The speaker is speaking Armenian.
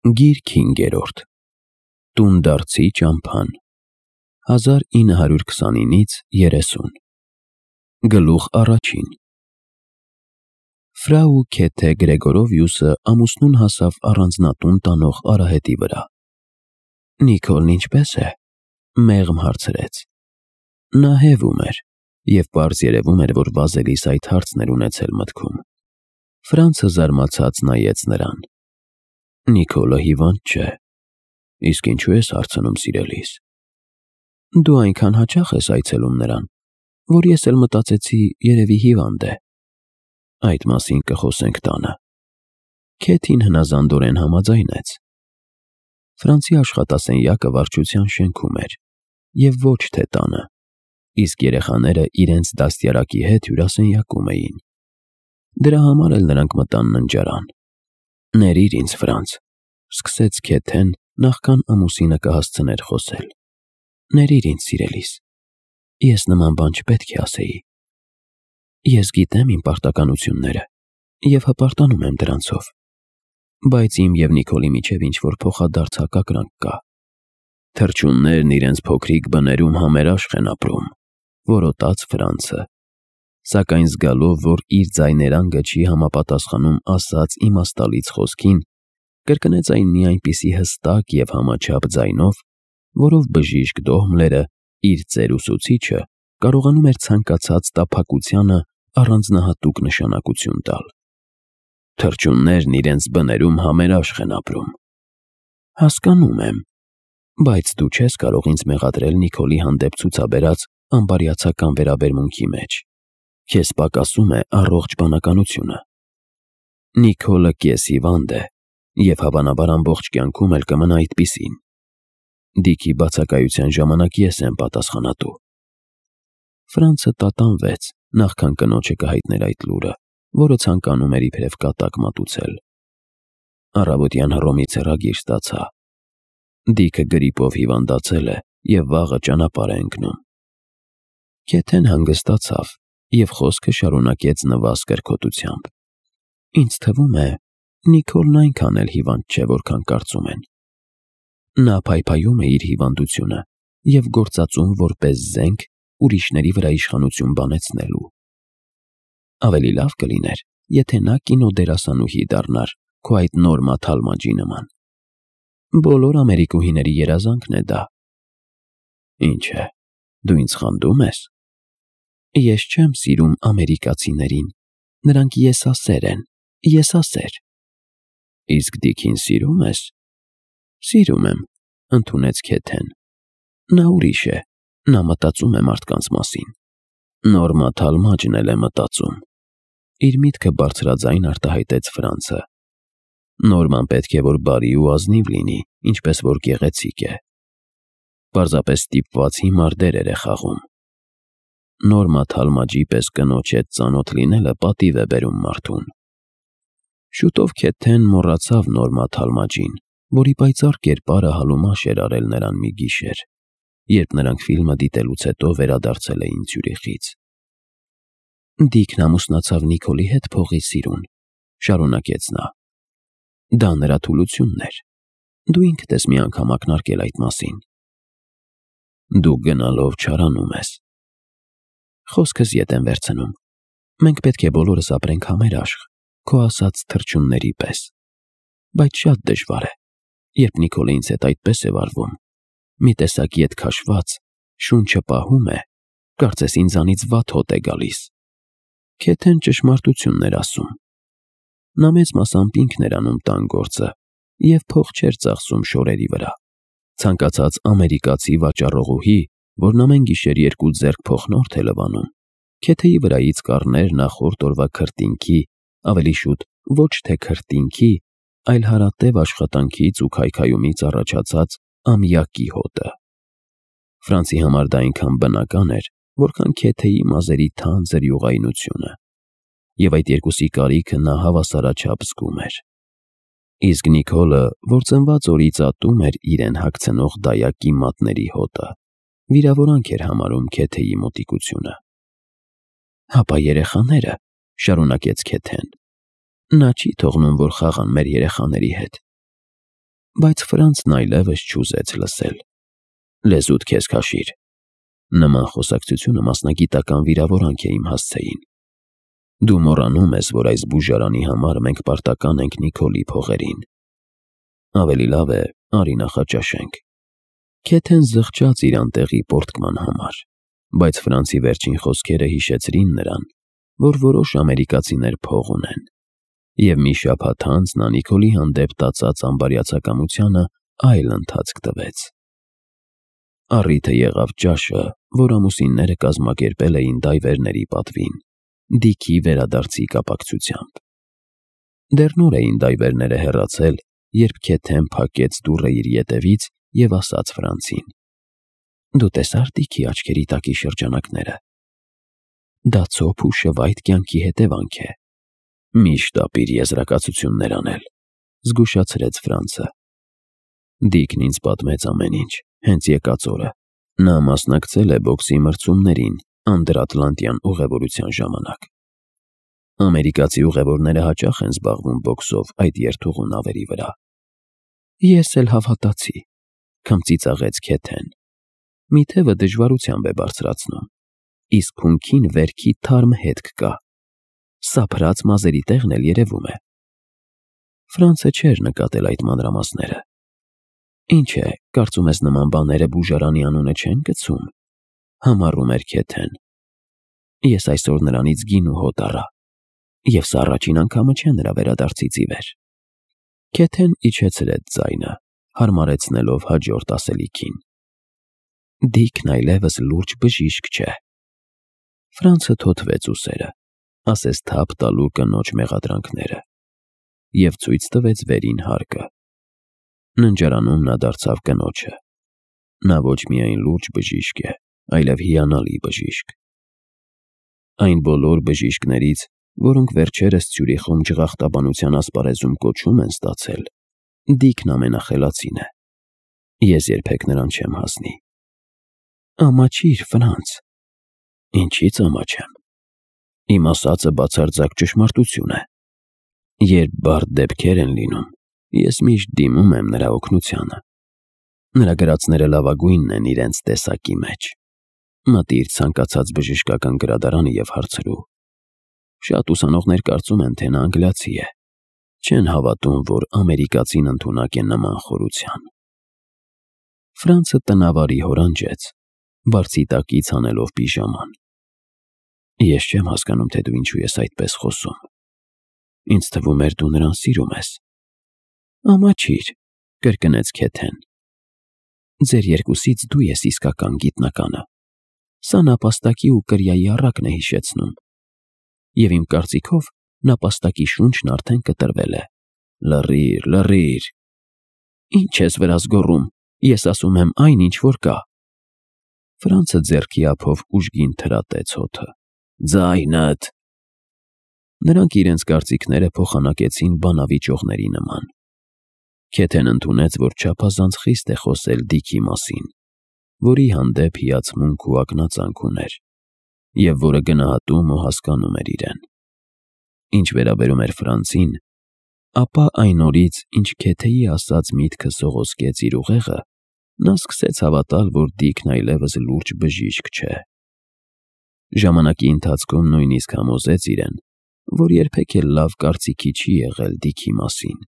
Գիրք 5. Տունդարձի ճամփան 1929-30 Գլուխ առաջին Ֆրաու Քեթե Գրեգորովյուսը ամուսնուն հասավ առանձնատուն տանող արահետի վրա։ Նիկոլն ինչպե՞ս է, մեղմ հարցրեց։ Նա հևում էր, և պարզ երևում էր, որ վազելիս այդ հարցն էր ունեցել մտքում։ Ֆրանցը զարմացած նայեց նրան։ Նիկոլը հիվանդ չէ։ Իսկ ինչու ես հարցնում, սիրելիս։ Դու այնքան հաճախ ես այցելում նրան, որ ես էլ մտածեցի, երևի հիվանդ է։ Այդ մասին կխոսենք տանը։ Քեթին հնազանդորեն համաձայնեց։ Ֆրանցի աշխատասենյակը վարչության շենքում էր, և ոչ թե տանը, իսկ երեխաները իրենց դաստիարակի հետ հյուրասենյակում էին։ Դրա համար էլ նրանք մտան ննջարան։ Ներիր ինձ, Ֆրանց, սկսեց Քեթեն, նախքան ամուսինը կհասցներ խոսել։ Ներիր ինձ, սիրելիս, ես նման բան չպետք է ասեի։ Ես գիտեմ իմ պարտականությունները և հպարտանում եմ դրանցով, բայց իմ և Նիկոլի միջև ինչ-որ փոխադարձ հակակրանք կա։ Թռչուններն իրենց փոքրիկ բներում համերաշխ են ապրում, որոտաց Ֆրանցը, սակայն զգալով, որ իր ձայներանգը չի համապատասխանում ասած իմաստալից խոսքին, կրկնեց այն մի այնպիսի հստակ և համաչափ ձայնով, որով բժիշկ Դոհմլերը, իր ծեր ուսուցիչը, կարողանում էր ցանկացած տափակությանը առանձնահատուկ նշանակություն տալ։ Թռչուններն իրենց բներում համերաշխ են ապրում։ Հասկանում եմ, բայց դու չես կարող ինձ մեղադրել Նիկոլի հանդեպ ցուցաբերած անբարյացակամ վերաբերմունքի մեջ։ Քեզ պակասում է առողջ բանականությունը։ Նիկոլը կես-հիվանդ է և հավանաբար ամբողջ կյանքում էլ կմնա այդպիսին։ Դիքի բացակայության ժամանակ ես եմ պատասխանատու։ Ֆրանցը տատանվեց, նախքան կնոջը կհայտներ այդ լուրը, որը ցանկանում էր իբրև կատակ մատուցել։ Առավոտյան Հռոմից հեռագիր ստացա։ Դիքը գրիպով հիվանդացել է և վաղը ճանապարհ է ընկնում։ Քեթեն հանգստացավ և խոսքը շարունակեց նվազ կրքոտությամբ։ Ինձ թվում է, Նիկոլն այնքան էլ հիվանդ չէ, որքան կարծում են։ Նա փայփայում է իր հիվանդությունը և գործածում որպես զենք ուրիշների վրա իշխանություն բանեցնելու։ Ավելի լավ կլիներ, եթե նա կինոդերասանուհի դառնար քո այդ Նորմա Թալմաջի նման։ Բոլոր ամերիկուհիների երազանքն է դա։ Ինչ է, դու ինձ խանդում ես։ Ես չեմ սիրում ամերիկացիներին, նրանք եսասեր են, եսասեր։ Իսկ Դիքին սիրում ես։ Սիրում եմ, ընդունեց Քեթեն։ Նա ուրիշ է, նա մտածում է մարդկանց մասին։ Նորմա Թալմաջն էլ է մտածում։ Իր միտքը բարձրաձայն արտահայտեց Ֆրանցը։ Նորման պետք է որ բարի ու ազնիվ լինի, ինչպես որ գեղեցիկ է։ Պարզապես ստիպված հիմար դերեր է խաղում։ Նորմա Թալմաջի պես կնոջ հետ ծանոթ լինելը պատիվ է բերում մարդուն։ Շուտով Քեթեն մոռացավ Նորմա Թալմաջին, որի պայծառ կերպարը հալումաշ էր արել նրան մի գիշեր, երբ նրանք ֆիլմը դիտելուց հետո վերադարձել էին Ցյուրիխից։ Դիքն ամուսնացավ Նիկոլի հետ փողի սիրուն, շարունակեց նա։ Դա նրա թուլությունն էր։ Դու ինքդ ես մի անգամ ակնարկել այդ մասին։ Դու գնալով չարանում ես։ Խոսքս ետ եմ վերցնում։ Մենք պետք է բոլորս ապրենք համերաշխ, քո ասած թռչունների պես։ Բայց շատ դժվար է, երբ Նիկոլը ինձ հետ այդպես է վարվում։ Մի տեսակ ետ քաշված, շունչը պահում է, կարծես ինձանից վատ հոտ է գալիս։ Քեթեն ճշմարտությունն էր ասում։ Նա մեծ մասամբ ինքն էր անում տան գործը և փող չէր ծախսում շորերի վրա։ Ցանկացած ամերիկացի վաճառողուհի, որն ամեն գիշեր 2 ձեռք փոխնորդ է լվանում, Քեթեի վրայից կառներ նախորդ օրվա քրտինքի, ավելի շուտ ոչ թե քրտինքի, այլ հարատև աշխատանքից ու քայքայումից առաջացած ամյակի հոտը։ Ֆրանցի համար դա այնքան բնական էր, որքան Քեթեի մազերի թանձր յուղայնությունը, և այդ երկուսի կարիքը նա հավասարաչափ զգում էր։ Իսկ Նիկոլը, որ ծնված օրից ատում էր իրեն հագցնող դայակի մատների հոտը, վիրավորանք էր համարում Քեթեի մոտիկությունը։ Հապա երեխաները, շարունակեց Քեթեն, նա չի թողնում, որ խաղան մեր երեխաների հետ։ բայց Ֆրանցն այլևս չուզեց լսել։ Լեզուդ քեզ քաշիր։ Նման խոսակցությունը մասնագիտական վիրավորանք է իմ հասցեին։ Դու մոռանում ես, որ այս բուժարանի համար մենք պարտական ենք Նիկոլի փողերին։ Ավելի լավ է, արի նախաճաշենք։ Քեթեն զղջաց իր անտեղի պորտկման համար, բայց Ֆրանցի վերջին խոսքերը հիշեցրին նրան, որ որոշ ամերիկացիներ փող ունեն, և մի շաբաթ անց նա Նիկոլի հանդեպ տածած անբարյացակամությանը այլ ընթացք տվեց։ Առիթը եղավ ճաշը, որ ամուսինները կազմակերպել էին դայվերների պատվին, Դիքի վերադարձի կապակցությամբ։ Դեռ նոր էին դայվերները հեռացել, երբ Քեթեն փակեց դուռը իր ետևից և ասաց Ֆրանցին. «Դու տեսա՞ր Դիքի աչքերի տակի շրջանակները։ Դա ցոփ ու շվայտ կյանքի հետևանք է։ Միշտ ապիր եզրակացություններ անել», զգուշացրեց Ֆրանցը։ Դիքն ինձ պատմեց ամեն ինչ, հենց եկած օրը։ Նա մասնակցել է բոքսի մրցումներին Անդրատլանտյան ուղևորության ժամանակ։ Ամերիկացի ուղևորները հաճախ են զբաղվում բոքսով այդ երթուղու նավերի վրա։ Ես էլ հավատացի, քմծիծաղեց Քեթեն։ Մի թևը դժվարությամբ է բարձրացնում, իսկ հունքին վերքի թարմ հետք կա։ Սափրած մազերի տեղն էլ երևում է։ Ֆրանցը չէր նկատել այդ մանրամասները։ Ինչ է, կարծում ես նման բաները բուժարանի անունը չեն կցում, համառում էր Քեթեն։ Ես այսօր նրանից գին ու հոտ առա, և սա առաջին անգամը չէ նրա վերադարձից ի վեր։ Քեթեն իջեցրեց ձայնը, հարմարեցնելով հաջորդ ասելիքին։ Դիքն այլևս լուրջ բժիշկ չէ։ Ֆրանցը թոթվեց ուսերը, ասես թափ տալու կնոջ մեղադրանքները, և ցույց տվեց վերին հարկը։ Ննջարանում նա դարձավ կնոջը։ Նա ոչ միայն լուրջ բժիշկ է, այլև հիանալի բժիշկ։ Այն բոլոր բժիշկներից, որոնք վերջերս Ցյուրիխում ջղախտաբանության ասպարեզում կոչում են ստացել, Դիքն ամենախելացին է։ Ես երբեք նրան չեմ հասնի։ Ամաչիր, Ֆրանց։ Ինչի՞ց ամաչեմ։ Իմ ասածը բացարձակ ճշմարտություն է։ Երբ բարդ դեպքեր են լինում, ես միշտ դիմում եմ նրա օգնությանը։ Նրա գրածները լավագույնն են իրենց տեսակի մեջ։ Մտիր ցանկացած բժշկական գրադարանը և հարցրու։ Շատ ուսանողներ կարծում են, թե նա անգլիացի է։ Չեն հավատում, որ ամերիկացին ընդունակ է նման խորության։ Ֆրանցը տնավարի հորանջեց, բարձի տակից հանելով պիժաման։ Ես չեմ հասկանում, թե դու ինչու ես այդպես խոսում։ Ինձ թվում էր դու նրան սիրում ես։ Ամաչիր, կրկնեց Քեթեն։ Ձեր երկուսից դու ես իսկական գիտնականը։ Սա նապաստակի ու կրիայի առակն է հիշեցնում։ Եվ իմ կարծիքով նապաստակի շունչն արդեն կտրվել է։ Լռիր, լռիր։ Ինչ ես վրաս գոռում, ես ասում եմ այն, ինչ որ կա։ Ֆրանցը ձեռքի ափով ուժգին թրատեց հոթը։ Ձայնդ։ Նրանք իրենց կարծիքները փոխանակեցին բանավիճողների նման։ Քեթեն ընդունեց, որ չափազանց խիստ է խոսել Դիքի մասին, որի հանդեպ հիացմունք ու ակնածանք ուներ, և որը գնահատում ու հասկանում էր իրեն։ Ինչ վերաբերում էր Ֆրանցին, ապա այն օրից, ինչ Քեթեի ասած միտքը սողոսկեց իր ուղեղը, նա սկսեց հավատալ, որ Դիքն այլևս լուրջ բժիշկ չէ։ Ժամանակի ընթացքում նույնիսկ համոզեց իրեն, որ երբեք էլ լավ կարծիքի չի եղել Դիքի մասին։